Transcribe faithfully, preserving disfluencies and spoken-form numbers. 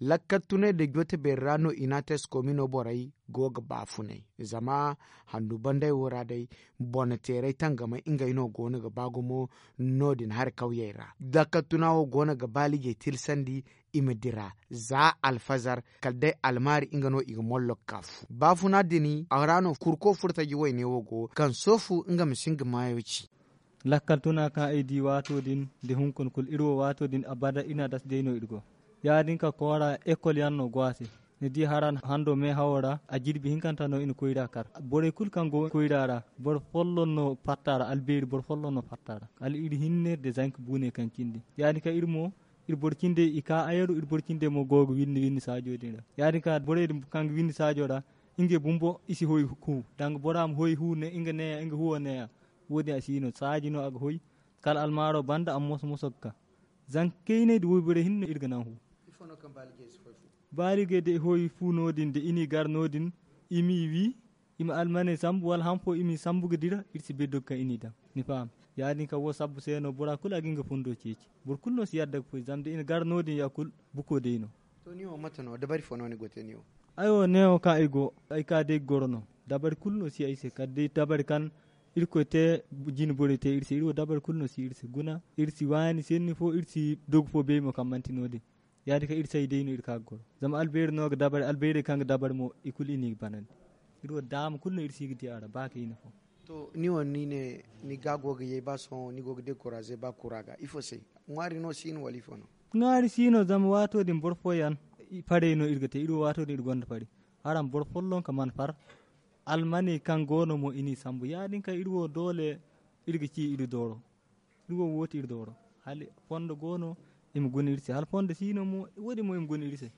Lakkal tunay da joote beeri ra no i n'a te eskoomino borey go ga baafunay. Zama handu banday wo ra day bone teeray tangamay ngey no go no ga ba gumo. No- din hari kawyey ra lakkal tuna wo go no ga baalijey tilsandi. I ma dira za alfazar kala day almaari nga no i ga mollok ka fu baafuna din a ra no kurko furtaji wayne wo go kaŋ soofu nga ma si nga maayo ci. Lakkal tuna kaŋ ay di waato din nda hunkuna kulu iri wo waato din abada iri na a dasa day no iri go. Ya- din ka koora ekol yaŋ no go a se. Ni di hara hando meehawo ra a jirbi hinkanta no i na koyra kar. Borey kulu kaŋ go koyra ra boro folloŋ no fatta ra albeeri boro folloŋ no fatta ra. Kala iri hinne nda zanka buune kaŋ cindi ya- din ka iri mo iri boro cindey i ka ayaru iri boro cindey mo go ga winni winni saajo din ra. Ya- din ka borey din kaŋ ga winni saajo ra ngey bumbo i si hoy hu danga bora ma hoy hu ne nga neeya nga huwo neeya. Wo- din a si no saaji no a ga hoy. Kala almaaro banda a ma moso moso ga ka. Zanka kayney nda woyborey hinne no iri ga naŋ hu. Baaligey da i hoy fu no- din da i n'i gar no- din i m'i wi i ma almaney sambu wala han fo i m'i sambu ga dira iri si bay doga kaŋ i n'i daŋ. Ni faham? Ya- din kaŋ wo sabbu se no bora kulu a ga nga fundo ceeci. Boro kulu no si yadda ga foy zama da i na gar no- din ya kulu buko day no. To ni wo mate no dabari fo no ni go te ni wo? Ay wo neewo kaŋ ay go ay ka day ga goro no. Dabari kulu no si ay se kala day dabari kaŋ irkoy te jine borey te iri se iri wo dabari kulu no si iri se guna iri si waani senni fo iri si dogu fo bay mo kaŋ manti no- din. Ya- din kaŋ iri say day no iri ka ga goro zama albeeri no ga dabari albeerey kaŋ ga dabari mo i kulu i n'i ga banandi. Iri wo daama kulu no iri si ga di a ra ba kayna fo. To ni wo ni ne ni ga go ga yay ba sohõ ni go ga dekoraze ba kura ga ifo se? Ŋwaari no si no wala ifo no? Ŋwaari si no zama waato din boro fooyaŋ farey no iri ga te iri wo waato din iri gonda fari. Araŋ boro folloŋ ka mana far. Almaney kaŋ go no mo i n'i sambu ya- din kaŋ iri wo doole iri ga ci iri dooro. Iri wo wo ti iri dooro hala fondo go no i ma guna iri se hala fondo si no mo wo- din mo i ma guna iri se.